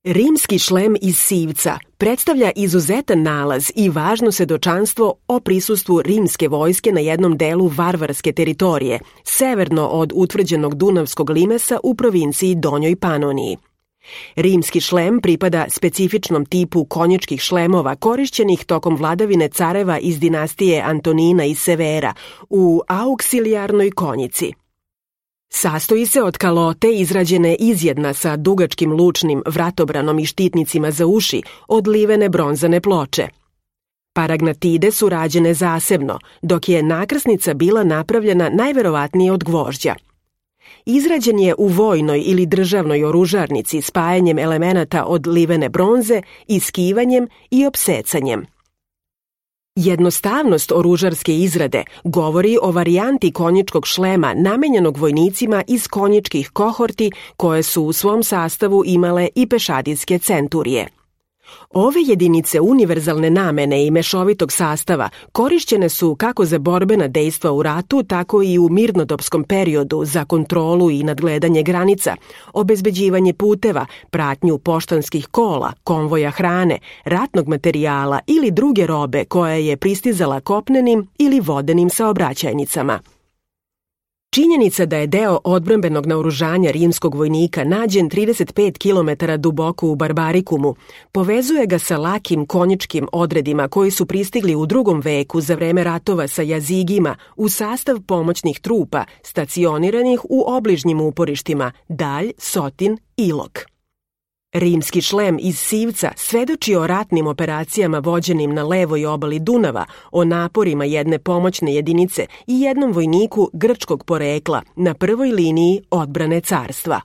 Rimski šlem iz Sivca predstavlja izuzetan nalaz i važno svedočanstvo o prisustvu rimske vojske na jednom delu varvarske teritorije, severno od utvrđenog Dunavskog limesa u provinciji Donjoj Panoniji. Rimski šlem pripada specifičnom tipu konjičkih šlemova korišćenih tokom vladavine careva iz dinastije Antonina i Severa u auksilijarnoj konjici. Sastoji se od kalote izrađene izjedna sa dugačkim lučnim vratobranom i štitnicima za uši od livene bronzane ploče. Paragnatide su rađene zasebno, dok je nakrsnica bila napravljena najverovatnije od gvožđa. Izrađen je u vojnoj ili državnoj oružarnici spajanjem elemenata od livene bronze, iskivanjem i opsecanjem. Jednostavnost oružarske izrade govori o varijanti konjičkog šlema namenjenog vojnicima iz konjičkih kohorti koje su u svom sastavu imale i pešadijske centurije. Ove jedinice univerzalne namene i mešovitog sastava korišćene su kako za borbena dejstva u ratu, tako i u mirnodopskom periodu za kontrolu i nadgledanje granica, obezbeđivanje puteva, pratnju poštanskih kola, konvoja hrane, ratnog materijala ili druge robe koja je pristizala kopnenim ili vodenim saobraćajnicama. Činjenica da je deo odbrambenog naoružanja rimskog vojnika nađen 35 km duboko u Barbarikumu povezuje ga sa lakim konjičkim odredima koji su pristigli u 2. veku za vreme ratova sa Jazigima u sastav pomoćnih trupa stacioniranih u obližnjim uporištima Dalj, Sotin, Ilok. Rimski šlem iz Sivca svedoči o ratnim operacijama vođenim na levoj obali Dunava, o naporima jedne pomoćne jedinice i jednom vojniku grčkog porekla na prvoj liniji odbrane carstva.